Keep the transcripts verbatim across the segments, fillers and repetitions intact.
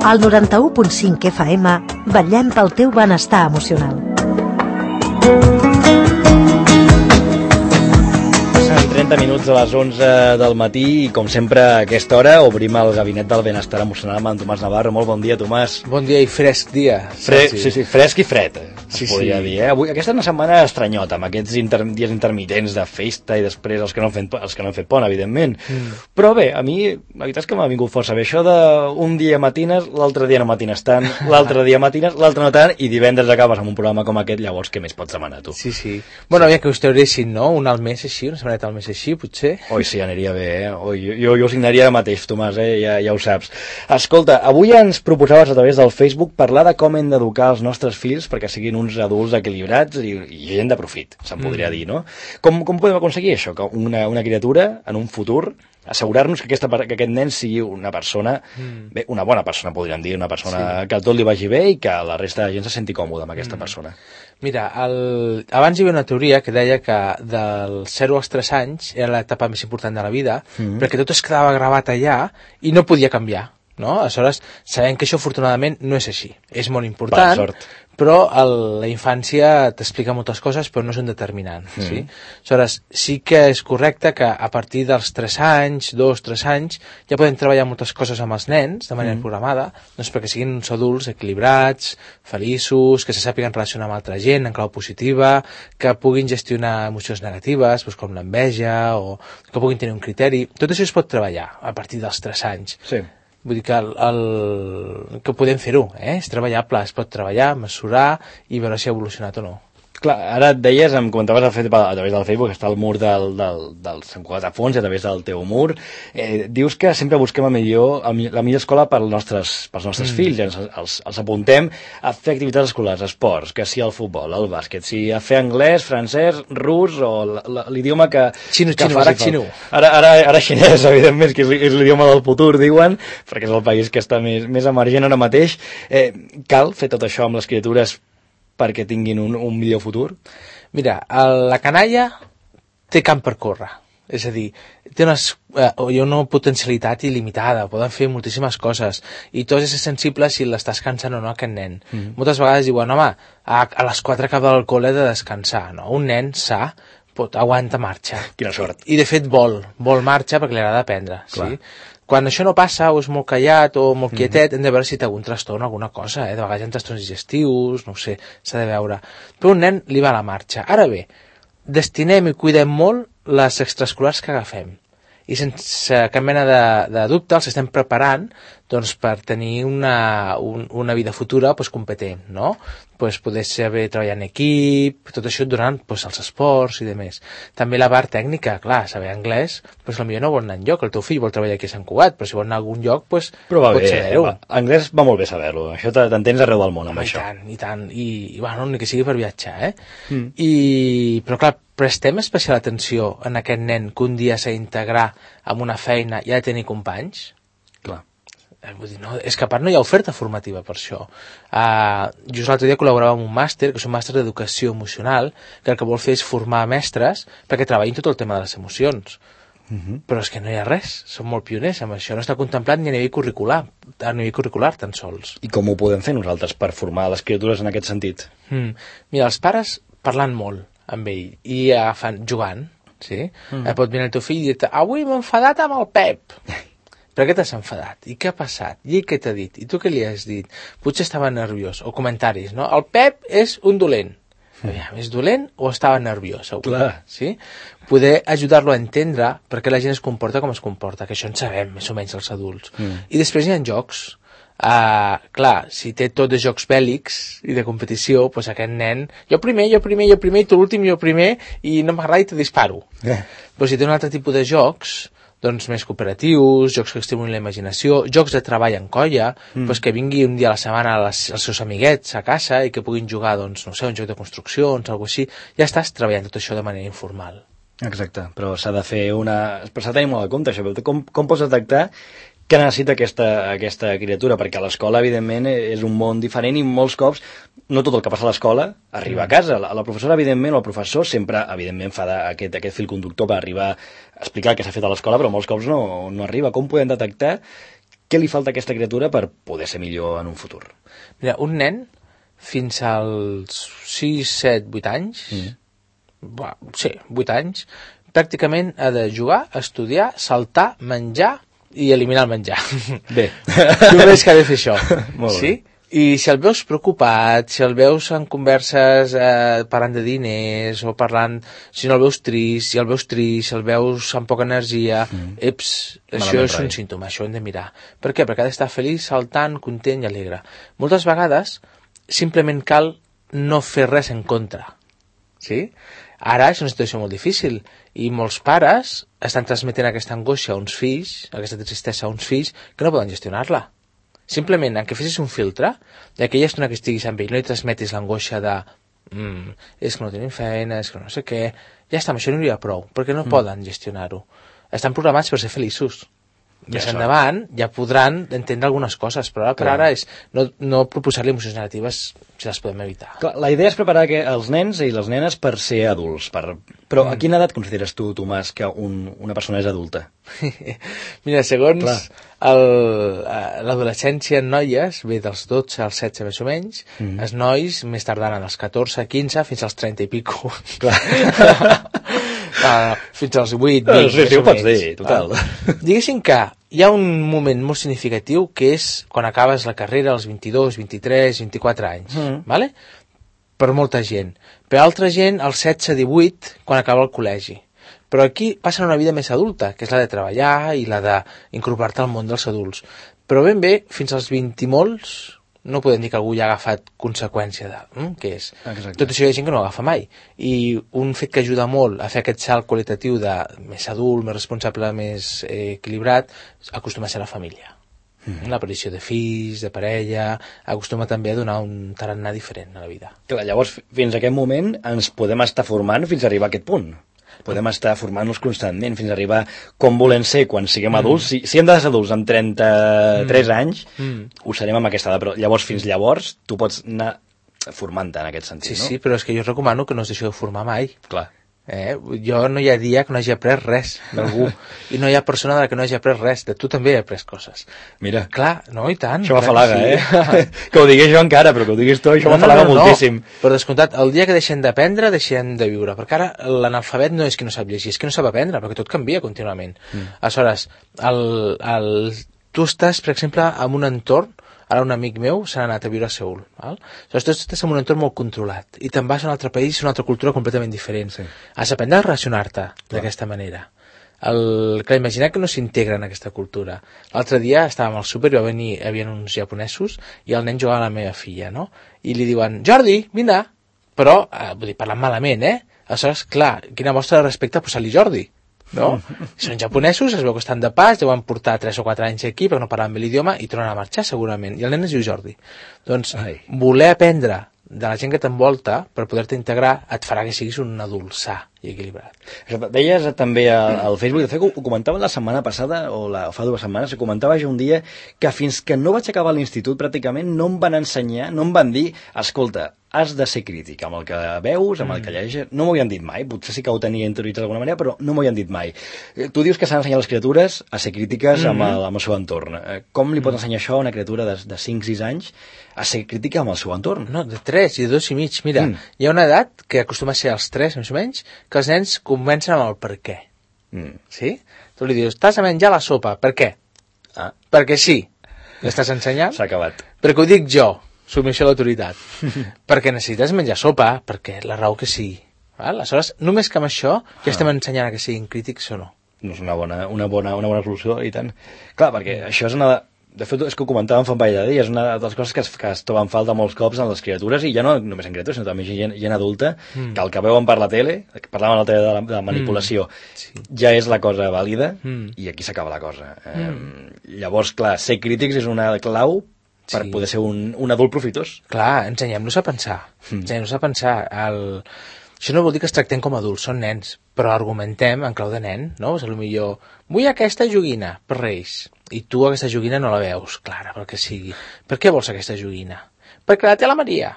Al noranta-u punt cinc F M vetllem pel teu benestar emocional. trenta minuts a les onze del matí i, com sempre, a aquesta hora obrim el Gabinet del Benestar Emocional amb en Tomàs Navarro. Molt bon dia, Tomàs. Bon dia i fresc dia. Fre sí, sí, fresc i fred, sí, es podria sí. dir. Eh? Avui, aquesta és una setmana estranyota, amb aquests inter dies intermitents de festa i després els que no han fet, els que no han fet pont, evidentment. Mm. Però bé, a mi, la veritat és que m'ha vingut força bé això d'un dia matines, l'altre dia no matines tant, l'altre dia matines, l'altre no tant, i divendres acabes amb un programa com aquest, llavors què més pots demanar, tu? Sí, sí. Bueno, aviam que us trauressin, no? Un al mes així, una setmaneta al mes així, potser. Oi, sí, aniria bé, eh? Oi, jo, jo ho signaria ara mateix, Tomàs, eh? Ja, ja ho saps. Escolta, avui ens proposaves a través del Facebook parlar de com hem d'educar els nostres fills perquè siguin uns adults equilibrats i, i gent de profit, se'n podria mm. dir, no? Com, com podem aconseguir això? Que una, una criatura, en un futur, assegurar-nos que, aquesta, que aquest nen sigui una persona, mm. bé, una bona persona, podríem dir, una persona sí. que a tot li vagi bé i que la resta de gent se senti còmoda amb aquesta mm. persona. Mira, el... abans hi havia una teoria que deia que dels zero als tres anys era l'etapa més important de la vida, mm. perquè tot es quedava gravat allà i no podia canviar, no? Aleshores, sabem que això afortunadament no és així. És molt important, però el, la infància t'explica moltes coses, però no és un determinant. Mm. Sí? Aleshores, sí que és correcte que a partir dels tres anys, dos, tres anys, ja podem treballar moltes coses amb els nens, de manera mm. programada, doncs perquè siguin uns adults equilibrats, feliços, que se sàpiguen relacionar amb altra gent en clau positiva, que puguin gestionar emocions negatives, doncs com l'enveja, o que puguin tenir un criteri. Tot això es pot treballar a partir dels tres anys. Sí. Vull dir que, el, el, que podem fer-ho, eh? És treballable, es pot treballar, mesurar i veure si ha evolucionat o no. Clar, ara et deies, em comentaves a través del Facebook, està el mur del, del, del Sant Cugat de Fons, a través del teu mur. Eh, dius que sempre busquem la millor, la millor escola pels nostres, pels nostres mm. fills, ens, els, els apuntem a fer activitats escolars, esports, que si el futbol, el bàsquet, si a fer anglès, francès, rus o l'idioma que... Xino, que xino, ara xino. Ara, ara, ara xinès, evidentment, que és l'idioma del futur, diuen, perquè és el país que està més, més emergent ara mateix. Eh, cal fer tot això amb les criatures perquè tinguin un, un millor futur? Mira, la canalla té camp per córrer. És a dir, té unes, eh, una potencialitat il·limitada, poden fer moltíssimes coses, i tot és sensible si l'estàs cansant o no aquest nen. Mm. Moltes vegades diuen, home, a, a les quatre acaba el col·le de descansar, no? Un nen sa pot, aguanta marxa. Quina sort. I de fet vol, vol marxa perquè li agrada aprendre. Sí? Quan això no passa, o és molt callat o molt quietet, mm-hmm. hem de veure si té algun trastorn o alguna cosa, eh? De vegades hi ha trastorns digestius, no ho sé, s'ha de veure. Però un nen li va a la marxa. Ara bé, destinem i cuidem molt les extraescolars que agafem. I sense cap mena de, de dubte els estem preparant doncs, per tenir una, un, una vida futura pues, competent, no? Pues, poder saber treballar en equip, tot això durant pues, els esports i demés. També la part tècnica, clar, saber anglès, pues, potser no vol anar enlloc, el teu fill vol treballar aquí a Sant Cugat, però si vol anar a algun lloc, pues, però va pot bé, saber-ho. Anglès va molt bé saber-ho, això t'entens arreu del món amb Home, això. I tant, i tant, i, i bueno, ni que sigui per viatjar, eh? Mm. I, però clar, prestem especial atenció en aquest nen que un dia s'ha d'integrar amb una feina i ha de tenir companys? Clar. Vull dir, no, és que a part no hi ha oferta formativa per això. Uh, just l'altre dia col·laborava amb un màster, que és un màster d'educació emocional, que el que vol fer és formar mestres perquè treballin tot el tema de les emocions. Uh-huh. Però és que no hi ha res, són molt pioners amb això, no està contemplat ni a nivell curricular, a nivell curricular tan sols. I com ho podem fer nosaltres per formar les criatures en aquest sentit? Mm. Mira, els pares parlant molt amb ell i agafant, jugant, sí? Mm. Pot venir el teu fill i dir-te, avui m'he enfadat amb el Pep. Per què t'has enfadat? I què ha passat? I què t'ha dit? I tu què li has dit? Potser estava nerviós. O comentaris, no? El Pep és un dolent. Mm. És dolent o estava nerviós? Avui? Clar. Sí? Poder ajudar-lo a entendre per què la gent es comporta com es comporta, que això en sabem, més o menys, els adults. Mm. I després hi ha jocs. Uh, clar, si té tot de jocs bèl·lics i de competició, doncs aquest nen, jo primer, jo primer, jo primer, i tu l'últim, jo primer, i no m'agrada i te disparo. Eh. Però si té un altre tipus de jocs, doncs més cooperatius, jocs que estimulin la imaginació, jocs de treball en colla, mm. doncs que vingui un dia a la setmana les, els seus amiguets a casa i que puguin jugar, doncs, no sé, un joc de construccions, alguna cosa així, ja estàs treballant tot això de manera informal. Exacte, però s'ha de fer una... però s'ha de tenir molt en compte això, com, com pots detectar què necessita aquesta, aquesta criatura, perquè a l'escola, evidentment, és un món diferent i molts cops, no tot el que passa a l'escola arriba a casa. La, la professora, evidentment, o el professor sempre, evidentment, fa de, aquest, aquest fil conductor per arribar a explicar el que s'ha fet a l'escola, però molts cops no, no arriba. Com podem detectar què li falta a aquesta criatura per poder ser millor en un futur? Mira, un nen, fins als sis, set, vuit anys, mm. bah, sí, vuit anys, pràcticament ha de jugar, estudiar, saltar, menjar i eliminar el menjar. Bé. Només que ha de fer això. Molt sí? bé. I si el veus preocupat, si el veus en converses eh, parlant de diners o parlant, si no el veus trist, si el veus trist, si el veus amb poca energia, mm. eps, això Malament és rai. un símptoma, això ho hem de mirar. Per què? Perquè ha d'estar feliç, saltant, content i alegre. Moltes vegades simplement cal no fer res en contra. Sí? Ara és una situació molt difícil i molts pares estan transmetent aquesta angoixa a uns fills, aquesta tristesa a uns fills que no poden gestionar-la. Simplement, en què fessis un filtre, d'aquella estona que estiguis amb ell, no li transmetis l'angoixa de mm, és que no tenim feina, és que no sé què, ja està, amb això no hi ha prou, perquè no mm. poden gestionar-ho. Estan programats per ser feliços. Més ja endavant ja podran entendre algunes coses, però ara per ara és no, no proposar-li emocions negatives si les podem evitar. Clar, la idea és preparar que els nens i les nenes per ser adults. Per... Però mm. a quina edat consideres tu, Tomàs, que un, una persona és adulta? Mira, segons l'adolescència en noies, ve dels dotze als setze més o menys, mm. els nois més tardant als catorze, quinze, fins als trenta i pico. Clar. Uh, fins als vuit, vint, sí, sí, ho pots dir, total. Uh, diguéssim que hi ha un moment molt significatiu que és quan acabes la carrera als vint-i-dos, vint-i-tres, vint-i-quatre anys, mm. vale? Per molta gent. Per altra gent, als setze, divuit, quan acaba el col·legi. Però aquí passen una vida més adulta, que és la de treballar i la d'incorporar-te al món dels adults. Però ben bé, fins als vint i molts, no podem dir que algú ja ha agafat conseqüència de hm, què és. Exacte. Tot això hi ha gent que no agafa mai. I un fet que ajuda molt a fer aquest salt qualitatiu de més adult, més responsable, més eh, equilibrat, acostuma a ser la família. Mm-hmm. L'aparició de fills, de parella, acostuma també a donar un tarannà diferent a la vida. Clar, llavors, fins a aquest moment ens podem estar formant fins a arribar a aquest punt. Podem estar formant-nos constantment fins a arribar com volem ser quan siguem mm. adults. Si, si hem de ser adults amb trenta-tres mm. anys, mm. ho serem amb aquesta edat, però llavors fins llavors tu pots anar formant-te en aquest sentit, sí, no? Sí, però és que jo recomano que no us deixeu de formar mai. Clar. Eh? Jo no hi ha dia que no hagi après res d'algú i no hi ha persona de la que no hagi après res, de tu també he après coses. Mira, clar, no, i tant. Això m'afalaga, sí. eh? Que ho digués jo encara, però que ho diguis tu, això no, m'afalaga no, no, moltíssim. No. Per descomptat, el dia que deixem d'aprendre, deixem de viure, perquè ara l'analfabet no és que no sap llegir, és que no sap aprendre, perquè tot canvia contínuament. Mm. Aleshores, el, el, tu estàs, per exemple, en un entorn. Ara un amic meu s'ha anat a viure a Seül. Val? Aleshores, tu estàs en un entorn molt controlat i te'n vas a un altre país, una altra cultura completament diferent. Sí. Has d'aprendre a relacionar-te d'aquesta manera. El, clar, imagina que no s'integra en aquesta cultura. L'altre dia estàvem al súper i va venir, hi havia uns japonesos i el nen jugava a la meva filla, no? I li diuen, Jordi, vine! Però, eh, vull dir, parlant malament, eh? Aleshores, clar, quina mostra de respecte posar-li Jordi. No? Són japonesos, es veu que estan de pas, deuen portar tres o quatre anys aquí perquè no parlen bé l'idioma i tornen a marxar segurament, i el nen es diu Jordi. Doncs Ai. voler aprendre de la gent que t'envolta per poder-te integrar et farà que siguis un adult sa i equilibrat. Això, deies també al Facebook, de fet ho comentava la setmana passada o, la, o fa dues setmanes, ho comentava jo un dia que fins que no vaig acabar l'institut pràcticament no em van ensenyar, no em van dir, escolta, has de ser crític amb el que veus, amb el que llegeixes. No m'ho havien dit mai, potser sí que ho tenia interioritzat d'alguna manera, però no m'ho havien dit mai. Tu dius que s'han d'ensenyar les criatures a ser crítiques mm-hmm. amb, el, amb el seu entorn. Com li pots ensenyar això a una criatura de, de cinc sis anys a ser crítica amb el seu entorn? No, de tres i de dos i mig. Mira, mm. hi ha una edat que acostuma a ser als tres, més o menys, que els nens comencen amb el per què. Mm. Sí? Tu li dius, t'has de menjar la sopa, per què? Ah. Perquè sí. L'estàs ensenyant? S'ha acabat. Perquè ho dic jo. Submissió a l'autoritat. Perquè necessites menjar sopa, perquè la raó que sigui. Val? Aleshores, només que amb això ja estem ensenyant a que siguin crítics o no. No és una bona, una bona, una bona solució, i tant. Clar, perquè això és una... De fet, és que ho comentàvem fa un parell de dies, és una de les coses que es, que es troben falta molts cops en les criatures, i ja no només en criatures, sinó també gent, gent adulta, mm. que el que veuen per la tele, que parlàvem l'altre dia de la, de la manipulació, mm. sí. ja és la cosa vàlida, mm. i aquí s'acaba la cosa. Mm. Eh, llavors, clar, ser crítics és una clau per sí. poder ser un, un adult profitós. Clar, ensenyem-los a pensar. Mm. Ensenyem-los a pensar. El... Això no vol dir que es tractem com adults, són nens, però argumentem en clau de nen, no? O sigui, millor, vull aquesta joguina per Reis, i tu aquesta joguina no la veus clara, pel que sigui. Per què vols aquesta joguina? Perquè la té la Maria.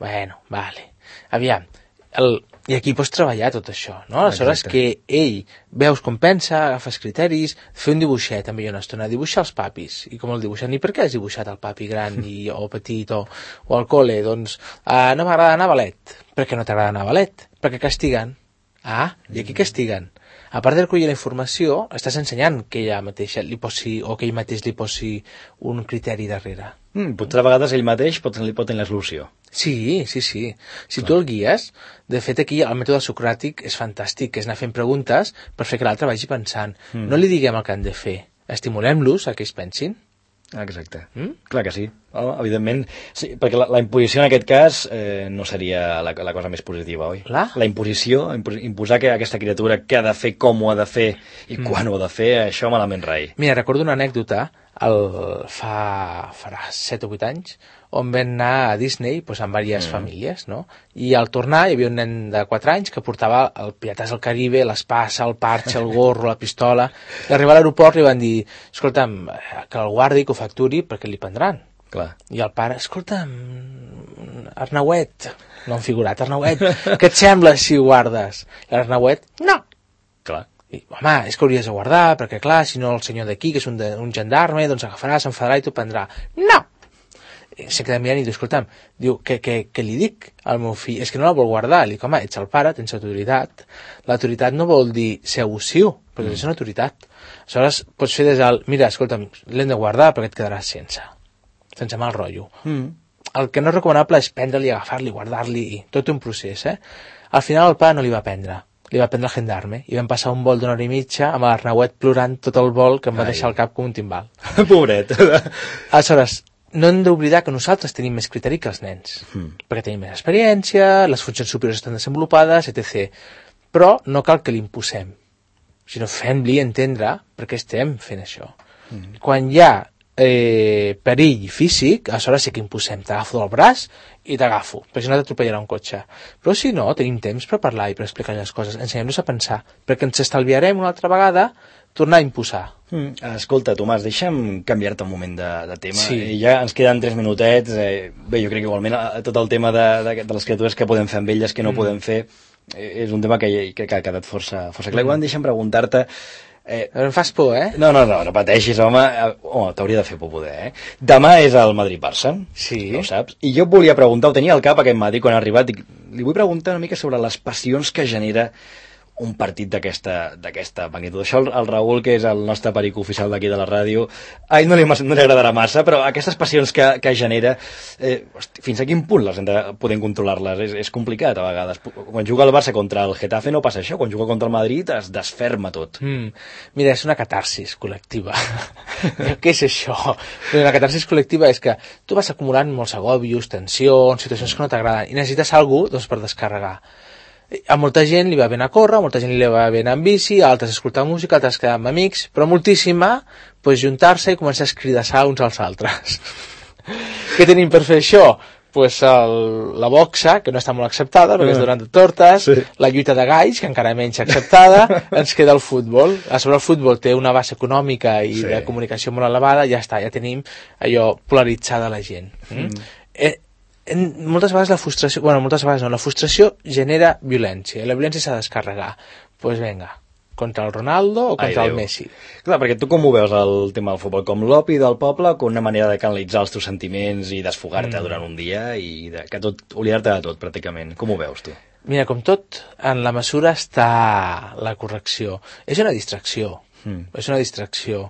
Bueno, vale. Aviam, el, I aquí pots treballar tot això, no? Aleshores Exacte. que ell veus com pensa, agafes criteris, fer un dibuixet també una estona, dibuixar els papis, i com el dibuixen, i per què has dibuixat el papi gran i, o petit o, o al col·le? Doncs uh, no m'agrada anar a ballet. Per què no t'agrada anar a ballet? Perquè castiguen. Ah, i aquí castiguen. A part de recollir la informació, estàs ensenyant que ella mateixa li posi, o que ell mateix li posi un criteri darrere. Mm, potser a vegades ell mateix pot, pot tenir la solució. Sí, sí, sí. Si Clar. tu el guies, de fet aquí el mètode socràtic és fantàstic, que és anar fent preguntes per fer que l'altre vagi pensant. Mm. No li diguem el que han de fer, estimulem-los a que ells pensin. Exacte. Mm? Clar que sí. Oh, evidentment, sí, perquè la, la imposició en aquest cas eh, no seria la, la cosa més positiva, oi? Clar. La imposició, imposar que aquesta criatura què ha de fer, com ho ha de fer i mm. quan ho ha de fer, això malament rai. Mira, recordo una anècdota el, fa, farà set o vuit anys, on vam anar a Disney doncs, amb diverses mm. famílies, no? I al tornar hi havia un nen de quatre anys que portava el Pirates del Caribe, l'espasa, el parxe, el gorro, la pistola. I arribar a l'aeroport li van dir, escolta'm, que el guardi, que ho facturi, perquè li prendran. Clar. I el pare, escolta'm, Arnauet, no han figurat, Arnauet, què et sembla si ho guardes? I l'Arnauet, no. Clar. I, home, és que hauries de guardar, perquè clar, si no el senyor d'aquí, que és un, de, un gendarme, doncs agafarà, s'enfadarà i t'ho prendrà. No! Se queda mirant i diu, escolta'm, diu, què, què, què li dic al meu fill? És que no la vol guardar. Li dic, home, ets el pare, tens autoritat. L'autoritat no vol dir ser abusiu, perquè mm. és una autoritat. Aleshores, pots fer des del, mira, escolta'm, l'hem de guardar perquè et quedaràs sense. Sense mal rotllo. Mm. El que no és recomanable és prendre-li, agafar-li, guardar-li, tot un procés, eh? Al final el pare no li va prendre. Li va prendre el gendarme i vam passar un vol d'una hora i mitja amb l'Arnauet plorant tot el vol que em va Ai. deixar el cap com un timbal. Pobret. Aleshores, no hem d'oblidar que nosaltres tenim més criteri que els nens, mm. perquè tenim més experiència, les funcions superiors estan desenvolupades, etcètera. Però no cal que l'imposem, sinó fem-li entendre per què estem fent això. Mm. Quan hi ha eh, perill físic, aleshores sí que imposem, t'agafo del braç i t'agafo, perquè si no t'atropellarà un cotxe. Però si no, tenim temps per parlar i per explicar les coses, ensenyem-los a pensar, perquè ens estalviarem una altra vegada tornar a imposar. Mm. Escolta, Tomàs, deixa'm canviar-te un moment de, de tema. Sí. Eh, ja ens queden tres minutets. Eh, bé, jo crec que igualment eh, tot el tema de, de, de les criatures que podem fer amb elles, que no mm. podem fer, eh, és un tema que, que, que ha quedat força, força clar. Mm. Igual deixa'm preguntar-te... Eh, em fas por, eh? No, no, no, no pateixis, home. Home, t'hauria de fer por poder, eh? Demà és el Madrid-Barça, sí. no ho saps? I jo volia preguntar, ho tenia al cap aquest matí quan ha arribat, i li vull preguntar una mica sobre les passions que genera un partit d'aquesta d'aquesta magnitud. Això el, el Raül, que és el nostre perico oficial d'aquí de la ràdio, a ell no li, no li agradarà massa, però aquestes passions que, que genera, eh, hosti, fins a quin punt les hem de poder controlar-les? És, és complicat a vegades. Quan juga el Barça contra el Getafe no passa això, quan juga contra el Madrid es desferma tot. Mm. Mira, és una catarsis col·lectiva. Què és això? La catarsis col·lectiva és que tu vas acumulant molts agobios, tensions, situacions que no t'agraden, i necessites algú doncs, per descarregar. A molta gent li va bé anar a córrer, a molta gent li va bé anar amb bici, a altres escoltar música, a altres quedar amb amics, però moltíssima pues, juntar-se i començar a escridassar uns als altres. Què tenim per fer això? Pues el, la boxa, que no està molt acceptada, perquè és donant de tortes, sí. La lluita de galls, que encara menys acceptada, ens queda el futbol. A sobre el futbol té una base econòmica i sí. De comunicació molt elevada, ja està, ja tenim allò polaritzada la gent. Mm. Mm. Eh, En, moltes vegades la frustració, bueno, moltes vegades no, la frustració genera violència, i la violència s'ha de descarregar. Doncs pues vinga, contra el Ronaldo o contra Ai, el Messi. Clar, perquè tu com ho veus el tema del futbol? Com l'opi del poble, com una manera de canalitzar els teus sentiments i desfogar-te mm. durant un dia i de, que tot, oblidar-te de tot, pràcticament. Com ho veus, tu? Mira, com tot, en la mesura està la correcció. És una distracció. Mm. És una distracció.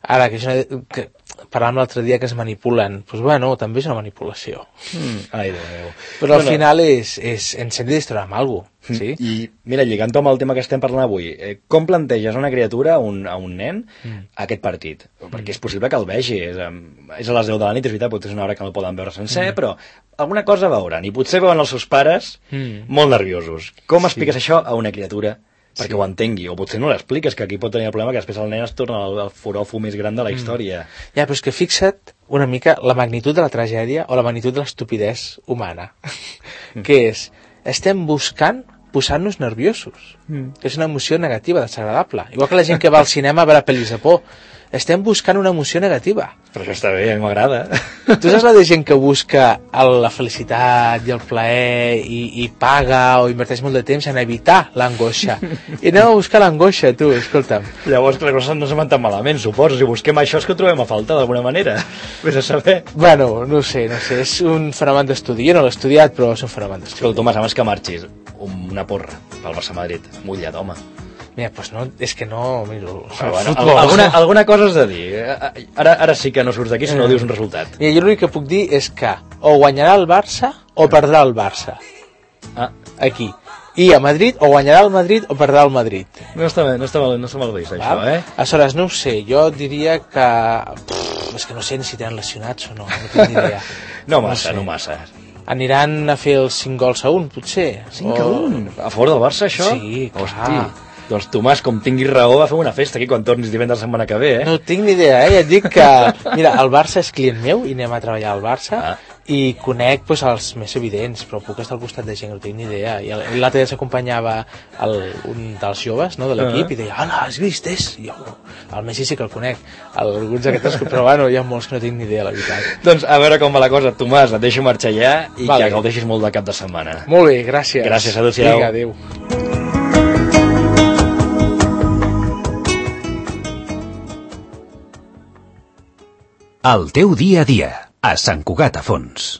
Ara, que és una... Que, parlàvem l'altre dia que es manipulen, doncs bueno, també és una manipulació. Mm. Ai, Déu meu. Però al no, final no. és, és, ens hem de distraure amb alguna cosa. Sí? I mira, lligant-ho amb el tema que estem parlant avui, eh, com planteges a una criatura, a un, a un nen, mm. aquest partit? Perquè és possible que el vegi, és, és a les deu de la nit, és veritat, potser és una hora que no el poden veure sencer, mm. però alguna cosa veuran, i potser veuen els seus pares mm. molt nerviosos. Com sí. Expliques això a una criatura perquè sí. Ho entengui, o potser no l'expliques, que aquí pot tenir el problema que després el nen es torna el, el foròfo més gran de la història. Mm. Ja, però és que fixa't una mica la magnitud de la tragèdia o la magnitud de l'estupidesa humana, mm. que és, estem buscant posar-nos nerviosos. mm. que és una emoció negativa, desagradable. Igual que la gent que va al cinema a veure pel·lis de por. Estem buscant una emoció negativa. Però això està bé, a mi m'agrada. Tu saps la de gent que busca el, la felicitat i el plaer i, i paga o inverteix molt de temps en evitar l'angoixa. I anem a buscar l'angoixa, tu, escolta'm. Llavors, les coses no se van tan malament, suposo. Si busquem això és que ho trobem a falta, d'alguna manera. Vés a saber. Bueno, no sé, no sé. És un fenomen d'estudi. Jo no l'he estudiat, però és un fenomen d'estudi. Escolta, Tomàs, abans que marxis, una porra pel Barça-Madrid. Mullat, home. Mira, pues no, és que no... Mira, ah, bueno, alguna, alguna cosa has de dir. Ara, ara sí que no surts d'aquí si no dius un resultat. Mira, jo l'únic que puc dir és que o guanyarà el Barça o perdrà el Barça. Ah. Aquí. I a Madrid o guanyarà el Madrid o perdrà el Madrid. No està, no està, mal, no està mal vist, això, ah? eh? Aleshores, no ho sé, jo diria que... Pff, és que no sé ni si tenen lesionats o no, no tinc ni idea. no massa, no, no massa. Aniran a fer els cinc gols a un, potser. cinc a un? A favor del Barça, això? Sí, clar. Hosti. Doncs Tomàs, com tinguis raó, va fer una festa aquí quan tornis divendres la setmana que ve, eh? No tinc ni idea, eh? Ja et dic que... Mira, el Barça és client meu i anem a treballar al Barça ah. i conec pues, els més evidents, però puc estar al costat de gent que no tinc ni idea. I l'altre dia s'acompanyava un dels joves no, de l'equip uh -huh. i deia, hola, has vist? És? I jo, el Messi sí que el conec. Alguns d'aquests, però bueno, hi ha molts que no tinc ni idea, la veritat. Doncs a veure com va la cosa. Tomàs, et deixo marxar ja i vale. que gaudeixis molt de cap de setmana. Molt bé, gràcies. Gràcies, adéu-siau. Vinga, adéu. El teu dia a dia, a Sant Cugat a Fons.